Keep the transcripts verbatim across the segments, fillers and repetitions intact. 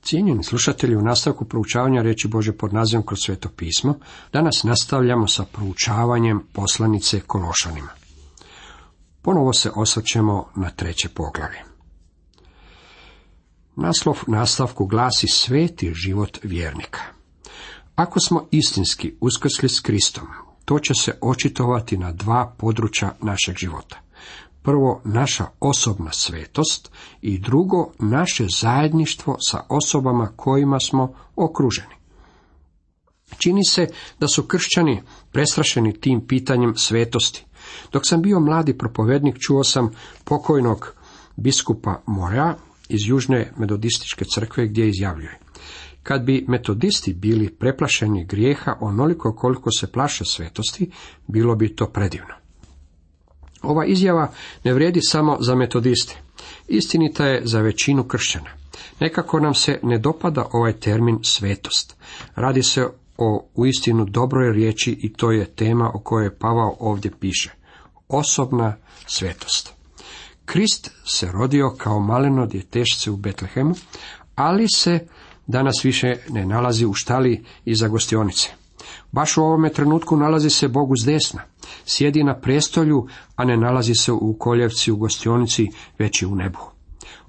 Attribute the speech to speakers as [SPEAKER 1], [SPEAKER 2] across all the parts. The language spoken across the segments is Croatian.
[SPEAKER 1] Cijenjeni slušatelji, u nastavku proučavanja riječi Božje pod nazivom Kroz Sveto pismo, danas nastavljamo sa proučavanjem poslanice Kološanima. Ponovo se osvrćemo na treće poglavlje. Naslov nastavku glasi Sveti život vjernika. Ako smo istinski uskrsli s Kristom, to će se očitovati na dva područja našeg života. Prvo, naša osobna svetost i drugo, naše zajedništvo sa osobama kojima smo okruženi. Čini se da su kršćani prestrašeni tim pitanjem svetosti. Dok sam bio mladi propovednik, čuo sam pokojnog biskupa Morea iz Južne metodističke crkve gdje izjavljuje: kad bi metodisti bili preplašeni grijeha onoliko koliko se plaše svetosti, bilo bi to predivno. Ova izjava ne vrijedi samo za metodiste. Istinita je za većinu kršćana. Nekako nam se ne dopada ovaj termin svetost. Radi se o uistinu dobroj riječi i to je tema o kojoj Pavao ovdje piše. Osobna svetost. Krist se rodio kao maleno djetešce u Betlehemu, ali se danas više ne nalazi u štali iza gostionice. Baš u ovome trenutku nalazi se Bog uz desna. Sjedi na prestolju, a ne nalazi se u koljevci u gostionici, već je u nebu.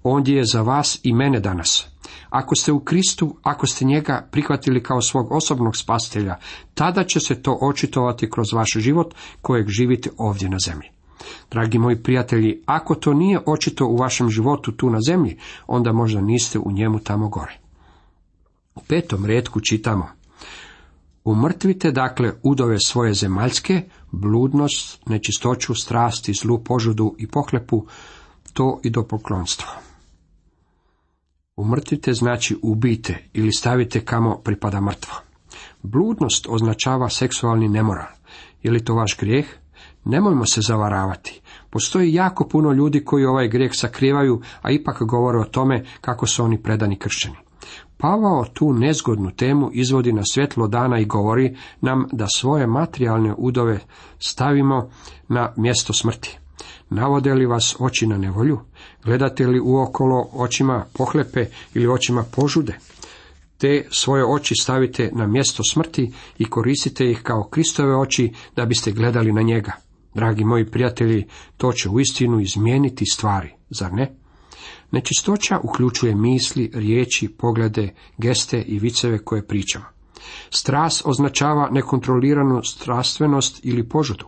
[SPEAKER 1] Ondje je za vas i mene danas. Ako ste u Kristu, ako ste njega prihvatili kao svog osobnog spasitelja, tada će se to očitovati kroz vaš život kojeg živite ovdje na zemlji. Dragi moji prijatelji, ako to nije očito u vašem životu tu na zemlji, onda možda niste u njemu tamo gore. U petom retku čitamo: umrtvite dakle udove svoje zemaljske, bludnost, nečistoću, strasti, zlu požudu i pohlepu, to i do poklonstva. Umrtvite znači ubijte ili stavite kamo pripada mrtvo. Bludnost označava seksualni nemoral. Je li to vaš grijeh? Nemojmo se zavaravati. Postoji jako puno ljudi koji ovaj grijeh sakrivaju, a ipak govore o tome kako su oni predani kršćani. Pavao tu nezgodnu temu izvodi na svjetlo dana i govori nam da svoje materijalne udove stavimo na mjesto smrti. Navode li vas oči na nevolju? Gledate li uokolo očima pohlepe ili očima požude? Te svoje oči stavite na mjesto smrti i koristite ih kao Kristove oči da biste gledali na njega. Dragi moji prijatelji, to će uistinu izmijeniti stvari, zar ne? Nečistoća uključuje misli, riječi, poglede, geste i viceve koje pričamo. Strast označava nekontroliranu strastvenost ili požudu.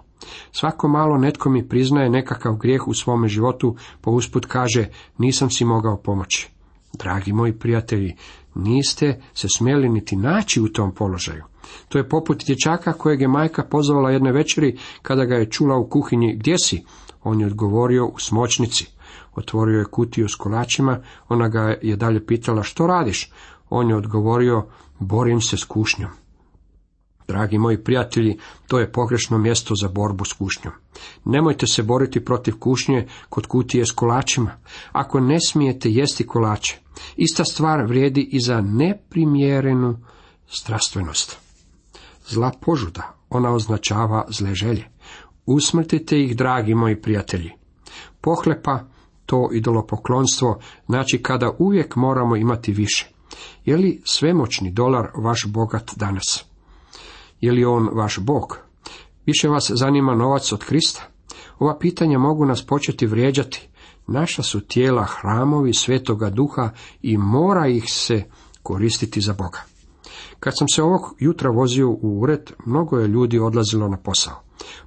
[SPEAKER 1] Svako malo netko mi priznaje nekakav grijeh u svome životu, pa usput kaže: nisam si mogao pomoći. Dragi moji prijatelji, niste se smjeli niti naći u tom položaju. To je poput dječaka kojeg je majka pozvala jedne večeri kada ga je čula u kuhinji: gdje si? On je odgovorio: u smočnici. Otvorio je kutiju s kolačima, ona ga je dalje pitala: što radiš? On je odgovorio: borim se s kušnjom. Dragi moji prijatelji, to je pogrešno mjesto za borbu s kušnjom. Nemojte se boriti protiv kušnje kod kutije s kolačima. Ako ne smijete jesti kolače, ista stvar vrijedi i za neprimjerenu strastvenost. Zla požuda, ona označava zle želje. Usmrtite ih, dragi moji prijatelji. Pohlepa, to idolopoklonstvo, znači kada uvijek moramo imati više. Je li svemoćni dolar vaš bogat danas? Je li on vaš Bog? Više vas zanima novac od Krista? Ova pitanja mogu nas početi vrijeđati. Naša su tijela hramovi Svetoga Duha i mora ih se koristiti za Boga. Kad sam se ovog jutra vozio u ured, mnogo je ljudi odlazilo na posao.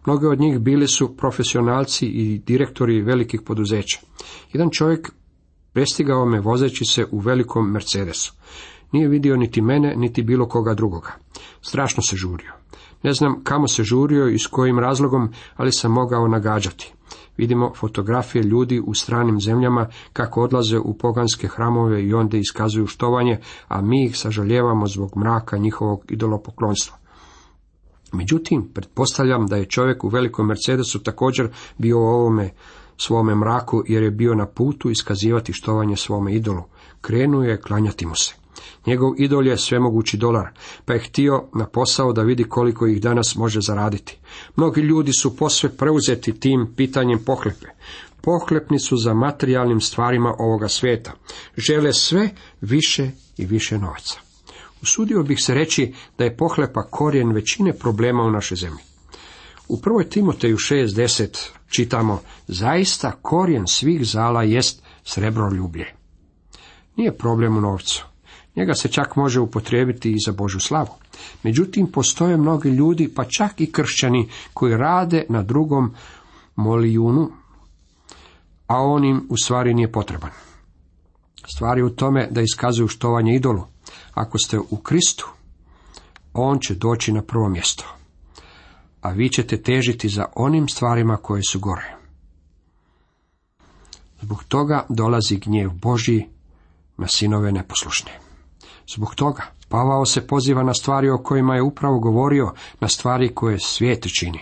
[SPEAKER 1] Mnogi od njih bili su profesionalci i direktori velikih poduzeća. Jedan čovjek prestigao me vozeći se u velikom Mercedesu. Nije vidio niti mene, niti bilo koga drugoga. Strašno se žurio. Ne znam kamo se žurio i s kojim razlogom, ali sam mogao nagađati. Vidimo fotografije ljudi u stranim zemljama kako odlaze u poganske hramove i onda iskazuju štovanje, a mi ih sažaljevamo zbog mraka njihovog idolopoklonstva. Međutim, pretpostavljam da je čovjek u velikom Mercedesu također bio u ovome svome mraku, jer je bio na putu iskazivati štovanje svome idolu. Krenuo je klanjati mu se. Njegov idol je svemogući dolar, pa je htio na posao da vidi koliko ih danas može zaraditi. Mnogi ljudi su posve preuzeti tim pitanjem pohlepe. pohlepni su za materijalnim stvarima ovoga svijeta. Žele sve više i više novaca. Usudio bih se reći da je pohlepa korijen većine problema u našoj zemlji. U prvoj Timoteju šest deset čitamo: zaista korijen svih zala jest srebroljublje. Nije problem u novcu. Njega se čak može upotrijebiti i za Božju slavu. Međutim, postoje mnogi ljudi, pa čak i kršćani, koji rade na drugom molijunu, a on im u stvari nije potreban. Stvar je u tome da iskazuju štovanje idolu. Ako ste u Kristu, on će doći na prvo mjesto, a vi ćete težiti za onim stvarima koje su gore. Zbog toga dolazi gnjev Božji na sinove neposlušne. Zbog toga Pavao se poziva na stvari o kojima je upravo govorio, na stvari koje svijet čini.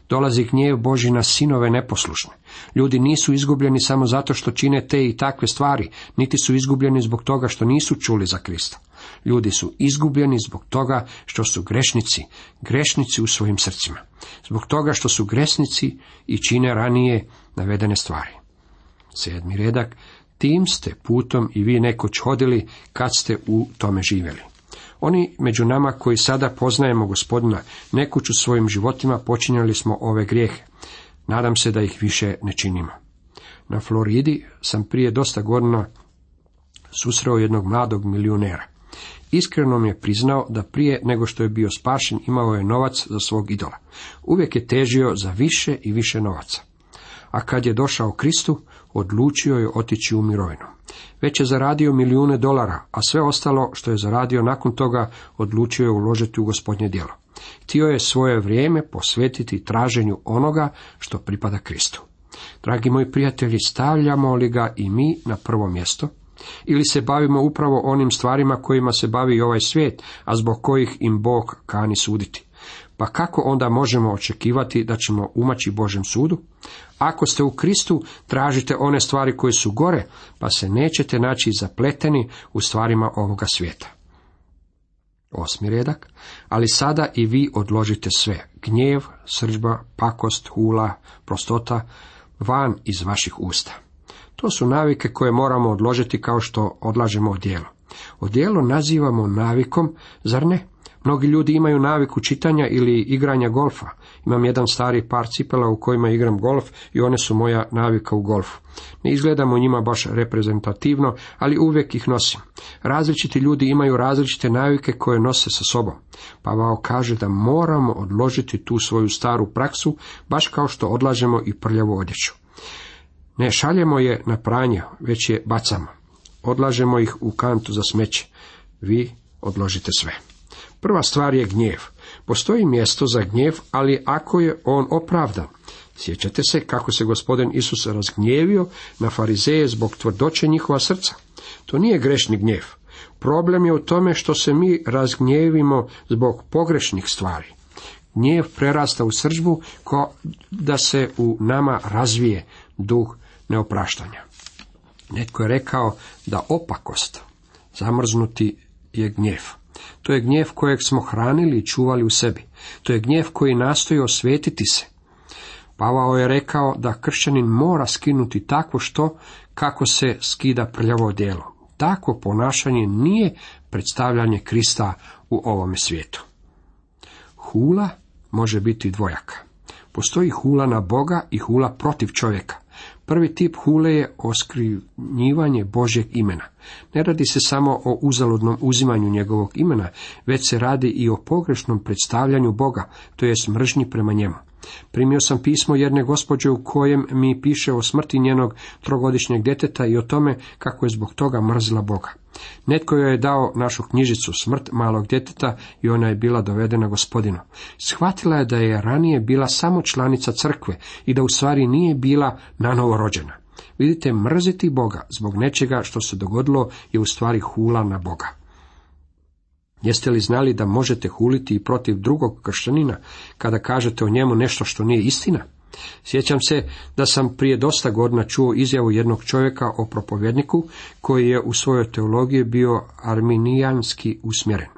[SPEAKER 1] Dolazi gnjev Božji na sinove neposlušne. Ljudi nisu izgubljeni samo zato što čine te i takve stvari, niti su izgubljeni zbog toga što nisu čuli za Krista. Ljudi su izgubljeni zbog toga što su grešnici, grešnici u svojim srcima. Zbog toga što su grešnici i čine ranije navedene stvari. Sedmi redak: tim ste putom i vi nekoć hodili kad ste u tome živjeli. Oni među nama koji sada poznajemo Gospodina, nekoć u svojim životima počinjali smo ove grijehe. Nadam se da ih više ne činimo. Na Floridi sam prije dosta godina susreo jednog mladog milionera. Iskreno mi je priznao da prije nego što je bio spašen imao je novac za svog idola. Uvijek je težio za više i više novaca. A kad je došao Kristu, odlučio je otići u mirovinu. Već je zaradio milijune dolara, a sve ostalo što je zaradio nakon toga odlučio je uložiti u Gospodnje djelo. Htio je svoje vrijeme posvetiti traženju onoga što pripada Kristu. Dragi moji prijatelji, stavljamo li ga i mi na prvo mjesto? Ili se bavimo upravo onim stvarima kojima se bavi i ovaj svijet, a zbog kojih im Bog kani suditi? Pa kako onda možemo očekivati da ćemo umaći Božjem sudu? Ako ste u Kristu, tražite one stvari koje su gore, pa se nećete naći zapleteni u stvarima ovoga svijeta. Osmi redak: ali sada i vi odložite sve, gnjev, srdžba, pakost, hula, prostota, van iz vaših usta. To su navike koje moramo odložiti kao što odlažemo odijelo. Odijelo nazivamo navikom, zar ne? Mnogi ljudi imaju naviku čitanja ili igranja golfa. Imam jedan stari par cipela u kojima igram golf i one su moja navika u golfu. Ne izgledam u njima baš reprezentativno, ali uvijek ih nosim. Različiti ljudi imaju različite navike koje nose sa sobom. Pavao kaže da moramo odložiti tu svoju staru praksu, baš kao što odlažemo i prljavu odjeću. Ne šaljemo je na pranje, već je bacamo. Odlažemo ih u kantu za smeće. Vi odložite sve. Prva stvar je gnjev. Postoji mjesto za gnjev, ali ako je on opravdan. Sjećate se kako se Gospodin Isus razgnjevio na farizeje zbog tvrdoće njihova srca. To nije grešni gnjev. Problem je u tome što se mi razgnjevimo zbog pogrešnih stvari. Gnjev prerasta u srdžbu ko da se u nama razvije duh neopraštanja. Netko je rekao da opakost, zamrznuti, je gnjev. To je gnjev kojeg smo hranili i čuvali u sebi. To je gnjev koji nastoji osvetiti se. Pavao je rekao da kršćanin mora skinuti takvo što kako se skida prljavo odijelo. Takvo ponašanje nije predstavljanje Krista u ovome svijetu. Hula može biti dvojaka. Postoji hula na Boga i hula protiv čovjeka. Prvi tip hule je oskrivljivanje Božjeg imena. Ne radi se samo o uzaludnom uzimanju njegovog imena, već se radi i o pogrešnom predstavljanju Boga, to jest mržnji prema njemu. Primio sam pismo jedne gospođe u kojem mi piše o smrti njenog trogodišnjeg djeteta i o tome kako je zbog toga mrzila Boga. Netko joj je dao našu knjižicu Smrt malog djeteta i ona je bila dovedena Gospodinu. Shvatila je da je ranije bila samo članica crkve i da u stvari nije bila nanovo rođena. Vidite, mrziti Boga zbog nečega što se dogodilo je u stvari hula na Boga. Jeste li znali da možete huliti i protiv drugog kršćanina kada kažete o njemu nešto što nije istina? Sjećam se da sam prije dosta godina čuo izjavu jednog čovjeka o propovjedniku koji je u svojoj teologiji bio arminijanski usmjeren.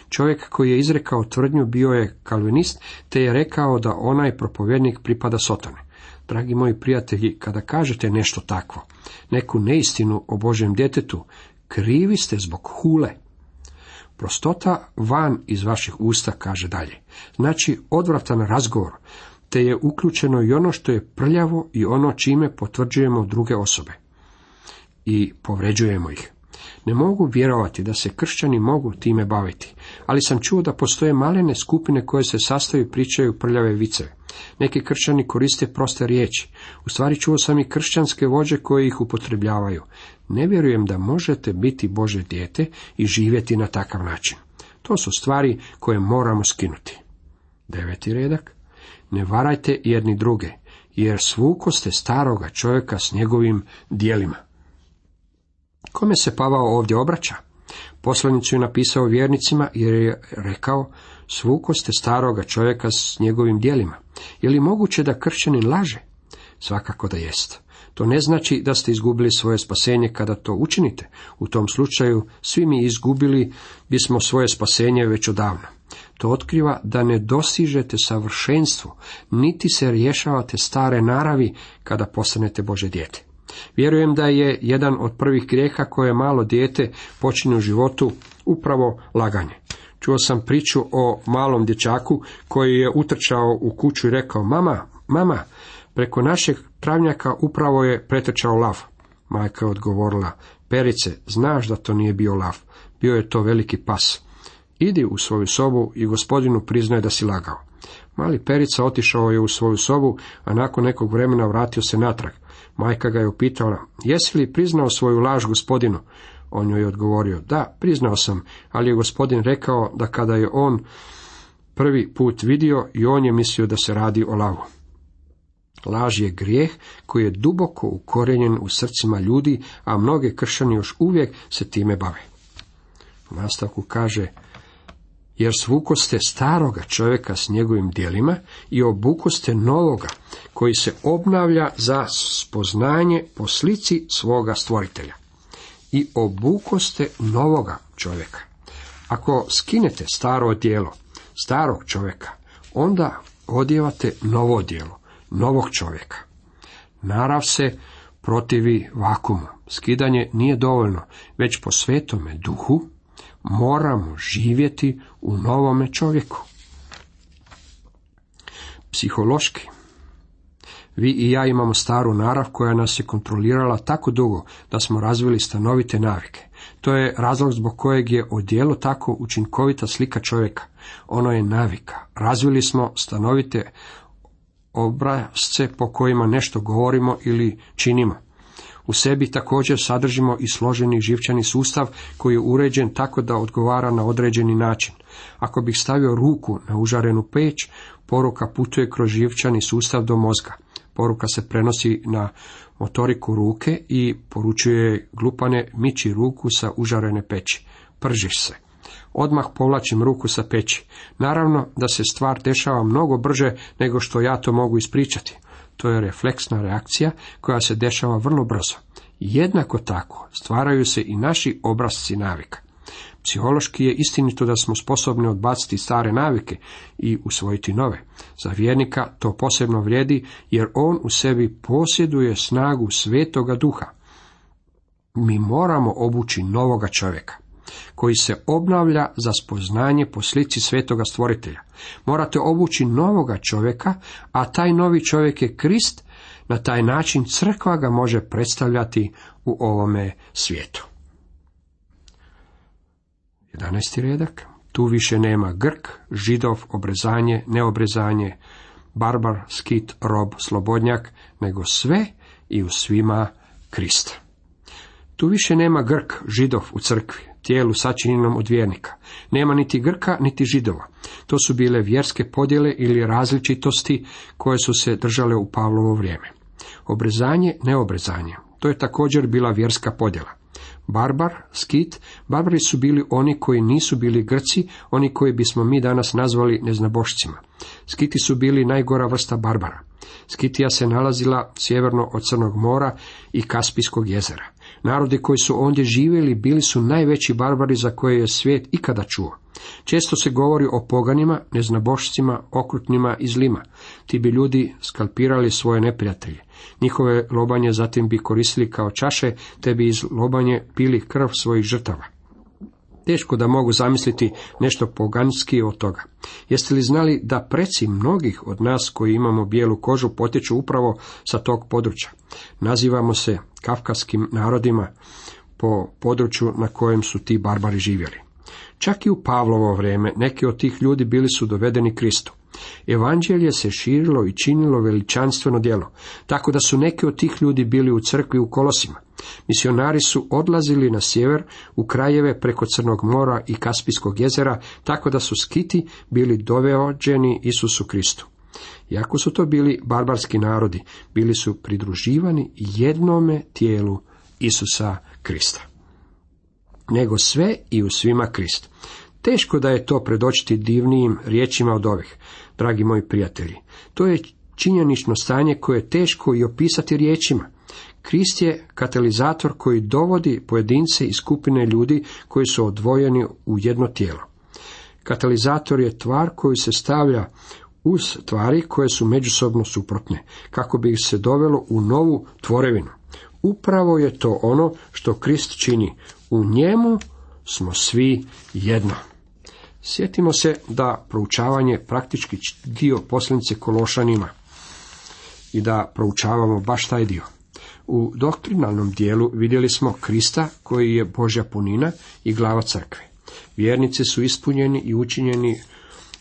[SPEAKER 1] Čovjek koji je izrekao tvrdnju bio je kalvinist, te je rekao da onaj propovjednik pripada Sotoni. Dragi moji prijatelji, kada kažete nešto takvo, neku neistinu o Božjem djetetu, krivi ste zbog hule. Prostota van iz vaših usta, kaže dalje, znači odvratan razgovor, te je uključeno i ono što je prljavo i ono čime potvrđujemo druge osobe i povređujemo ih. Ne mogu vjerovati da se kršćani mogu time baviti, ali sam čuo da postoje malene skupine koje se sastaju i pričaju prljave viceve. Neki kršćani koriste proste riječi. U stvari čuo sam i kršćanske vođe koje ih upotrebljavaju. Ne vjerujem da možete biti Božje dijete i živjeti na takav način. To su stvari koje moramo skinuti. Deveti redak. Ne varajte jedni druge, jer svukoste staroga čovjeka s njegovim djelima. Kome se Pavao ovdje obraća? Poslanicu je napisao vjernicima jer je rekao, svukoste staroga čovjeka s njegovim djelima. Je li moguće da kršćanin laže? Svakako da jest. To ne znači da ste izgubili svoje spasenje kada to učinite. U tom slučaju svi mi izgubili bismo svoje spasenje već odavno. To otkriva da ne dosižete savršenstvo, niti se rješavate stare naravi kada postanete Božje dijete. Vjerujem da je jedan od prvih grijeha koje malo dijete počini u životu upravo laganje. Čuo sam priču o malom dječaku koji je utrčao u kuću i rekao, mama, mama, preko našeg travnjaka upravo je pretrčao lav. Majka je odgovorila, Perice, znaš da to nije bio lav, bio je to veliki pas. Idi u svoju sobu i gospodinu priznaj da si lagao. Mali Perica otišao je u svoju sobu, a nakon nekog vremena vratio se natrag. Majka ga je upitala, jesi li priznao svoju laž gospodinu? On joj je odgovorio, da, priznao sam, ali je gospodin rekao da kada je on prvi put vidio i on je mislio da se radi o lavu. Laž je grijeh koji je duboko ukorijenjen u srcima ljudi, a mnoge kršćani još uvijek se time bave. U nastavku kaže, jer svukoste staroga čovjeka s njegovim djelima i obukoste novoga, koji se obnavlja za spoznanje po slici svoga stvoritelja. I obukoste novoga čovjeka. Ako skinete staro odijelo starog čovjeka, onda odijevate novo odijelo novog čovjeka. Narav se protivi vakumu. Skidanje nije dovoljno, već po svetome duhu moramo živjeti u novome čovjeku. Psihološki. Vi i ja imamo staru narav koja nas je kontrolirala tako dugo da smo razvili stanovite navike. To je razlog zbog kojeg je odijelo tako učinkovita slika čovjeka. Ono je navika. Razvili smo stanovite obrasce po kojima nešto govorimo ili činimo. U sebi također sadržimo i složeni živčani sustav koji je uređen tako da odgovara na određeni način. Ako bih stavio ruku na užarenu peć, poruka putuje kroz živčani sustav do mozga. Poruka se prenosi na motoriku ruke i poručuje glupane, miči ruku sa užarene peći. Pržiš se. Odmah povlačim ruku sa peći. Naravno da se stvar dešava mnogo brže nego što ja to mogu ispričati. To je refleksna reakcija koja se dešava vrlo brzo. Jednako tako stvaraju se i naši obrasci navika. Psihološki je istinito da smo sposobni odbaciti stare navike i usvojiti nove. Za vjernika to posebno vrijedi jer on u sebi posjeduje snagu Svetoga Duha. Mi moramo obući novoga čovjeka koji se obnavlja za spoznanje po slici Svetoga Stvoritelja. Morate obući novoga čovjeka, a taj novi čovjek je Krist. Na taj način crkva ga može predstavljati u ovome svijetu. jedanaesti redak. Tu više nema Grk, Židov, obrezanje, neobrezanje, barbar, skit, rob, slobodnjak, nego sve i u svima Krista. Tu više nema Grk, Židov u crkvi, tijelu sačinjenom od vjernika. Nema niti Grka, niti Židova. To su bile vjerske podjele ili različitosti koje su se držale u Pavlovo vrijeme. Obrezanje, neobrezanje. To je također bila vjerska podjela. Barbar, skit, barbari su bili oni koji nisu bili Grci, oni koji bismo mi danas nazvali neznabošcima. Skiti su bili najgora vrsta barbara. Skitija se nalazila sjeverno od Crnog mora i Kaspijskog jezera. Narodi koji su ondje živjeli bili su najveći barbari za koje je svijet ikada čuo. Često se govori o poganima, neznabošcima, okrutnima i zlima. Ti bi ljudi skalpirali svoje neprijatelje. Njihove lobanje zatim bi koristili kao čaše, te bi iz lobanje pili krv svojih žrtava. Teško da mogu zamisliti nešto poganski od toga. Jeste li znali da preci mnogih od nas koji imamo bijelu kožu potječu upravo sa tog područja? Nazivamo se kavkazskim narodima po području na kojem su ti barbari živjeli. Čak i u Pavlovo vrijeme neki od tih ljudi bili su dovedeni Kristu. Evanđelje se širilo i činilo veličanstveno djelo, tako da su neki od tih ljudi bili u crkvi u Kolosima. Misionari su odlazili na sjever u krajeve preko Crnog mora i Kaspijskog jezera, tako da su Skiti bili dovođeni Isusu Kristu. Iako su to bili barbarski narodi, bili su pridruživani jednome tijelu Isusa Krista. Nego sve i u svima Krist. Teško da je to predočiti divnijim riječima od ovih, dragi moji prijatelji. To je činjenično stanje koje je teško i opisati riječima. Krist je katalizator koji dovodi pojedince i skupine ljudi koji su odvojeni u jedno tijelo. Katalizator je tvar koju se stavlja uz tvari koje su međusobno suprotne, kako bi ih se dovelo u novu tvorevinu. Upravo je to ono što Krist čini. U njemu smo svi jedno. Sjetimo se da proučavanje praktički dio poslanice Kološanima i da proučavamo baš taj dio. U doktrinalnom dijelu vidjeli smo Krista koji je Božja punina i glava crkve. Vjernici su ispunjeni i učinjeni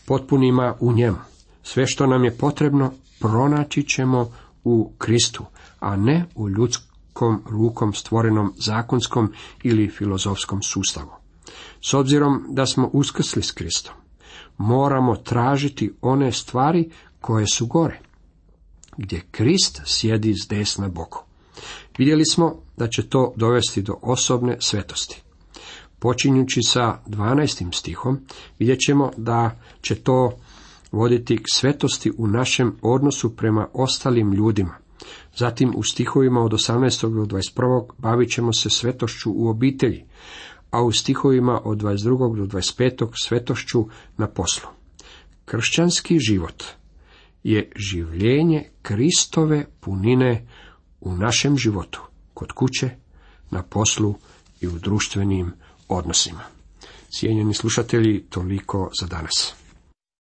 [SPEAKER 1] potpunima u njemu. Sve što nam je potrebno pronaći ćemo u Kristu, a ne u ljudskom rukom stvorenom zakonskom ili filozofskom sustavu. S obzirom da smo uskrsli s Kristom, moramo tražiti one stvari koje su gore, gdje Krist sjedi s desna boku. Vidjeli smo da će to dovesti do osobne svetosti. Počinjući sa dvanaestim stihom, vidjet ćemo da će to voditi k svetosti u našem odnosu prema ostalim ljudima. Zatim u stihovima od osamnaestog do dvadeset prvog bavit ćemo se svetošću u obitelji, a u stihovima od dvadeset drugog do dvadeset petog svetošću na poslu. Kršćanski život je življenje Kristove punine u našem životu, kod kuće, na poslu i u društvenim odnosima. Cijenjeni slušatelji, toliko za danas.